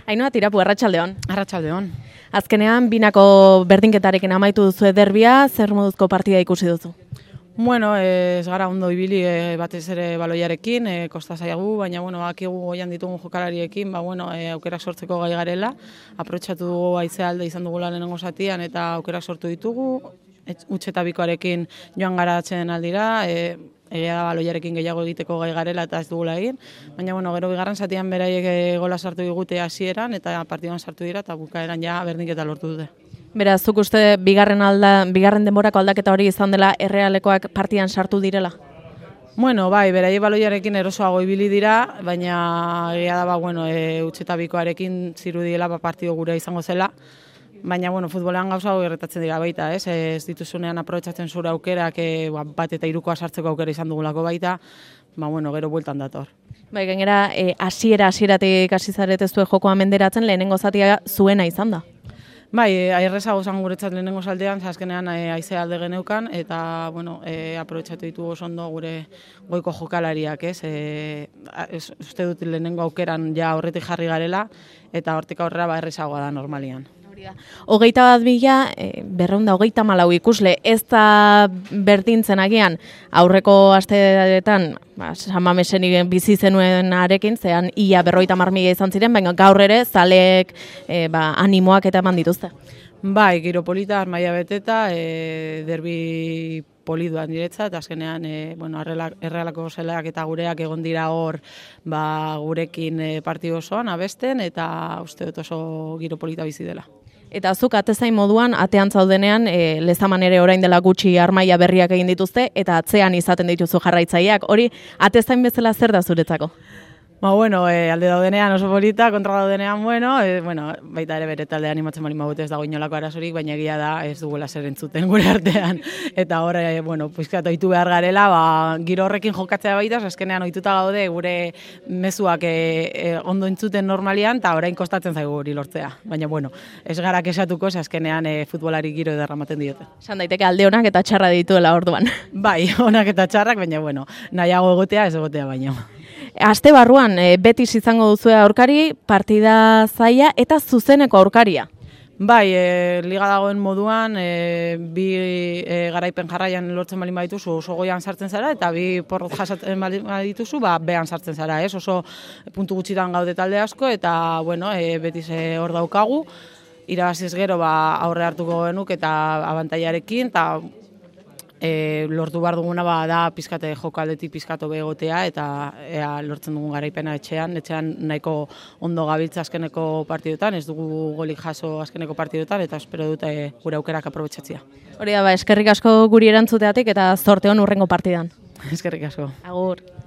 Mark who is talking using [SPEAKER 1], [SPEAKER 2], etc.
[SPEAKER 1] Ainhoa Tirapu, arratsaldeon.
[SPEAKER 2] Arratsaldeon.
[SPEAKER 1] Azkenean, binako berdinketarekin amaitu duzu derbia, zer moduzko partida ikusi duzu?
[SPEAKER 2] Bueno, ez gara ondo ibili batez ere baloiarekin, kosta zaigu, baina bakigu goian ditugun jokalariekin, aukerak sortzeko gai garela, aprobetxatu dugu haizea alde izan dugula lehenengo zatian eta aukerak sortu ditugu, huts eta bikoarekin joan gara atsedenaldira, egia da baloiarekin gehiago egiteko gai garela eta ez dugula egin, baina gero bigarren zatian beraiek gola sartu digute hasieran eta partidan sartu dira eta bukaeran ja berdinketa lortu dute.
[SPEAKER 1] Beraz, zuk uste bigarren denborako aldaketa hori izan dela Errealekoak partidan sartu direla?
[SPEAKER 2] Bai, beraiek baloiarekin erosoago ibili dira, baina egia da huts eta bikoarekin zirudiela partido gure izango zela. Baina, futbolean gauza hau gertatzen dira baita, ez dituzunean aprobetxatzen zure aukerak bat eta hirukoa sartzeko aukera izan dugulako baita, gero bueltan dator.
[SPEAKER 1] Bai, gainera, hasieratik hasi zaretezue jokoa menderatzen, lehenengo zatia zuena izan da.
[SPEAKER 2] Bai, errezago zan guretzat lehenengo zaldean, azkenean haizea alde geneukan, eta aprobetxatu ditugu oso ondo gure goiko jokalariak, uste dut lehenengo aukeran ja horretik jarri garela, eta hortik aurrera errezagoa da normalian.
[SPEAKER 1] 21.000, 234 ikusle, ez da berdintzen agian aurreko asteetan San Mamesen bizi zenuen arekin, zean ia 50.000 izan ziren, baina gaur ere zaleek animoak eta eman dituzte.
[SPEAKER 2] Bai, giro polita, armaia beteta, derbi poliduan diretza, eta azkenean Errealako zeleak eta gureak egon dira hor gurekin partidu osoan abesten, eta uste dut oso giro polita bizi dela.
[SPEAKER 1] Eta zuk atezain moduan, atean zaudenean, Lezaman ere orain dela gutxi armaia berriak egin dituzte, eta atzean izaten dituzu jarraitzaileak. Hori, atezain bezala zer da zuretzako?
[SPEAKER 2] Alde daudenean oso polita, kontra daudenean, baita ere bere talde animatzen bali magut ez dago inolako arazorik, baina egia da ez dugula zer entzuten gure artean. Eta hor, pizkat ohitu behar garela, giro horrekin jokatzea baita, azkenean ohituta gaude gure mezuak ondo entzuten normalian, eta orain kostatzen zaigu hori lortzea. Baina, ez gara kesatuko, azkenean futbolari giro derramaten diote.
[SPEAKER 1] Esan daiteke alde onak eta txarra dituela orduan.
[SPEAKER 2] Bai, onak eta txarrak, baina, nahiago egotea ez egotea baino.
[SPEAKER 1] Aste barruan, Betis izango duzue aurkari, partida zaila eta zuzeneko aurkaria.
[SPEAKER 2] Bai, liga dagoen moduan, bi garaipen jarraian lortzen balin badituzu oso goian sartzen zara, eta bi porrot jasatzen balin badituzu, behan sartzen zara, oso puntu gutxitan gaude talde asko, eta, Betis hor daukagu, irabaziz gero aurre hartuko genuk eta abantailarekin, eta lortu behar duguna da pizkate jokaldetik pizkato begotea eta lortzen dugun garaipena etxean nahiko ondo gabiltza azkeneko partidotan, ez dugu golik jaso azkeneko partidotan eta espero dute gure aukerak aprobetxatzea.
[SPEAKER 1] Hori da, eskerrik asko guri erantzuteatik eta zorte on hurrengo partidan.
[SPEAKER 2] Eskerrik asko.
[SPEAKER 1] Agur.